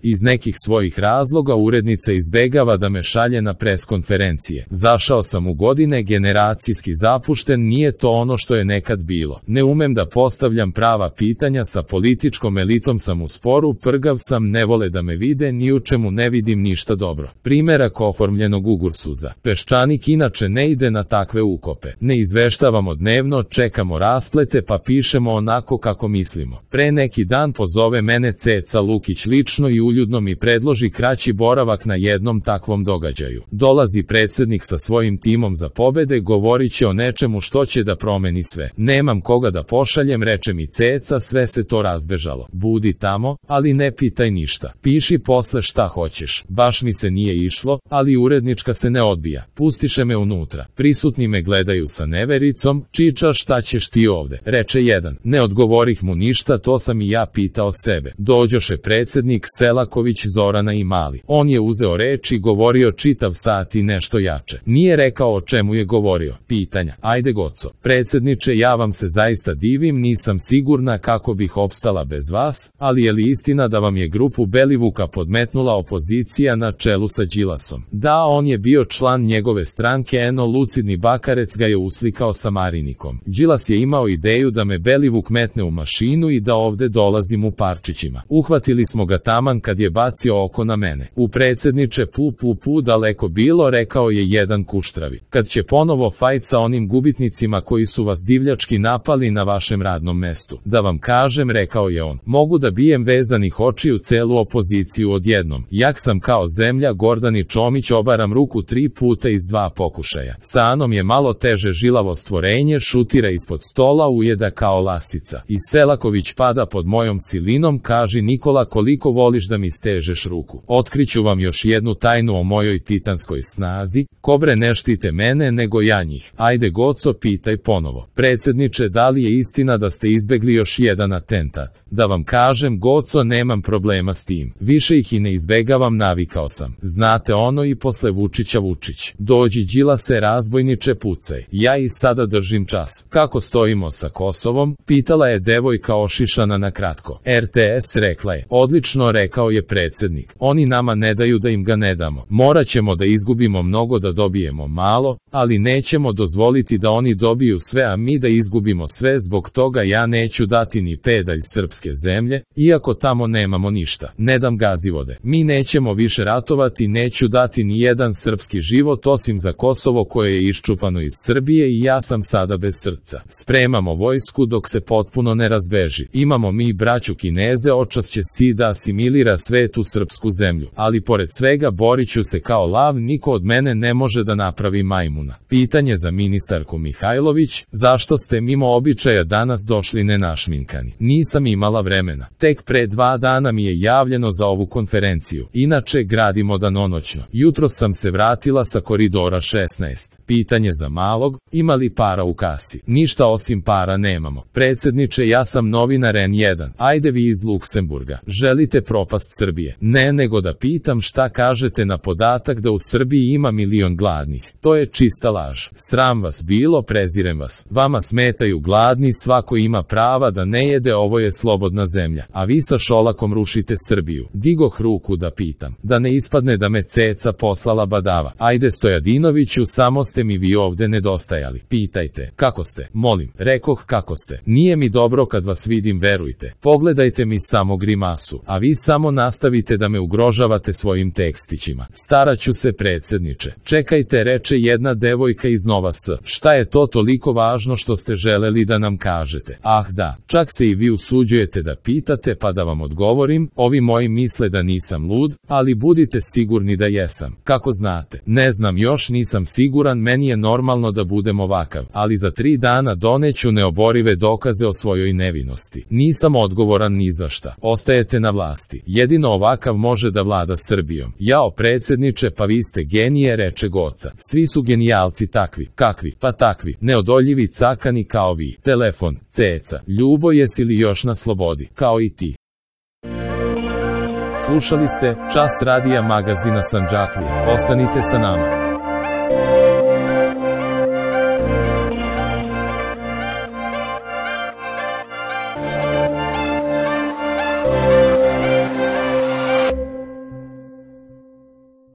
Iz nekih svojih razloga urednica izbegava da me šalje na preskonferencije. Zašao sam u godine, generacijski zapušten, nije to ono što je nekad bilo. Ne umem da postavljam prava pitanja, sa političkom elitom sam u sporu, prgav sam, ne vole da me vide, ni u čemu ne vidim ništa dobro. Primerak oformljenog ugursuza. Peščanik inače ne ide na takve ukope. Ne izveštavamo dnevno, čekamo rasplete pa pišemo onako kako mislimo. Pre neki dan pozove mene Ceca Lukić lično i uljudno mi predloži kraći boravak na jednom takvom događaju. Dolazi predsjednik sa svojim timom za pobede, govorit će o nečemu što će da promeni sve. Nemam koga da pošaljem, reče mi Ceca, sve se to razbežalo. Budi tamo, ali ne pitaj ništa. Piši posle šta hoćeš. Baš mi se nije išlo, ali urednička se ne odbija. Pustiše me unutra. Prisutni me gledaju sa nevericom. Čiča, šta ćeš ti ovde? Reče jedan. Ne odgovorih mu ništa, to sam i ja pitao sebe. Dođoše predsjednik, Selaković, Zorana i Mali. On je uzeo reč i govorio čitav sat i nešto jače. Nije rekao o čemu je govorio. Pitanja. Ajde Goco. Predsjedniče, ja vam se zaista divim, nisam sigurna kako bih opstala bez vas, ali je li istina da vam je grupu Belivuka podmetnula opozicija na čelu sa Đilasom? Da, on je bio član njegove stranke, eno lucidni Bakarec ga je uslikao sa Marinikom. Đilas je imao ideju da me Belivuk metne u mašinu i da ovde dolazim u parčićima. Uhvatili smo ga taman kad je bacio oko na mene. U predsjedniče, pu, daleko bilo, rekao je jedan kuštravi. Kad će ponovo fajt sa onim gubitnicima koji su vas divljački napali na vašem radnom mestu? Da vam kažem, rekao je on, mogu da bijem vezanih očiju celu opoziciju odjednom. Jak sam kao zemlja, Gordani Čomić, obaram ruku 3 puta iz 2 pokušaja. Sa Anom je malo teže, žilavo stvorenje, šutira ispod stola, ujeda kao lasica. I Selaković pada pod mojom silinom, kaži Nikola koliko voliš da mi stežeš ruku. Otkriću vam još jednu tajnu o mojoj titanskoj snazi, kobre ne štite mene nego ja njih. Ajde Goco, pitaj ponovo. Predsjedniče, da li je istina da ste izbegli još jedan atentat? Da vam kažem Goco, nemam problema s tim. Više ih i ne izbegavam, navikao sam. Znate ono i posle Vučića Vučić. Dođi Đilase, razbojniče, pucaj. Ja i sada držim čas. Kako stojimo sa Kosovom? Pitala je devojka ošišana na kratko. RTS, rekla je. Odlično, rekao je predsjednik. Oni nama ne daju da im ga ne damo. Morat ćemo da izgubimo mnogo da dobijemo malo, ali nećemo dozvoliti da oni dobiju sve a mi da izgubimo sve, zbog toga ja neću dati ni pedalj srpske zemlje, iako tamo nemamo ništa. Ne dam Gazivode. Mi nećemo više ratovati, neću dati ni jedan srpski život osim za Kosovo koje je iščupano iz Srbije i ja sam sada bez srca. Spremamo vojsku dok se potpuno ne razbeži. Imamo mi braću Kineze, očas će si da asimilira svetu srpsku zemlju, ali pored svega borit ću se kao lav, niko od mene ne može da napravi majmuna. Pitanje za ministarku Mihajlović, zašto ste mimo običaja danas došli nenašminkani? Nisam imala vremena. Tek pre 2 dana mi je javljeno za ovu konferenciju. Inače gradimo danonoćno. Jutros sam se vratila sa koridora 16. Pitanje za Malog, ima li para u kasi? Ništa osim para nemamo. Predsjedniče, ja sam novinar N1. Ajde vi iz Luksemburga. Želite propast Srbije? Ne, nego da pitam šta kažete na podatak da u Srbiji ima 1 milion gladnih. To je čista laž. Sram vas bilo, prezirem vas. Vama smetaju gladni, svako ima prava da ne jede, ovo je slobodna zemlja. A vi sa Šolakom rušite Srbiju. Digoh ruku da pitam. Da ne ispadne da me Ceca poslala badava. Ajde Stojadinoviću, samo ste mi vi ovde nedostajali. Pitajte, kako ste? Molim, rekoh kako ste. Nije mi dobro kad vas vidim, verujte. Pogledajte mi samo grimasu, a vi samo nastavite da me ugrožavate svojim tekstićima. Staraću se, predsjedniče. Čekajte, reče jedna devojka iz Nova S. Šta je to toliko važno što ste želeli da nam kažete? Ah da, čak se i vi usuđujete da pitate, pa da vam odgovorim. Ovi moji misle da nisam lud, ali budite sigurni da jesam. Kako znate? Ne znam, još nisam siguran, meni je normalno da budem ovakav, ali za 3 dana doneću neoborive dokaze o svojoj nevinosti. Nisam odgovoran ni za šta. Ostajete na vlasti. Jedino ovakav može da vlada Srbijom. Jao predsjedniče, pa vi ste genije, reče Goca. Svi su genijalci takvi. Kakvi? Pa takvi. Neodoljivi cakani kao vi. Telefon. Ceca. Ljubo, jesi li još na slobodi? Kao i ti. Slušali ste Čas radija magazina Sandžaklije. Ostanite sa nama.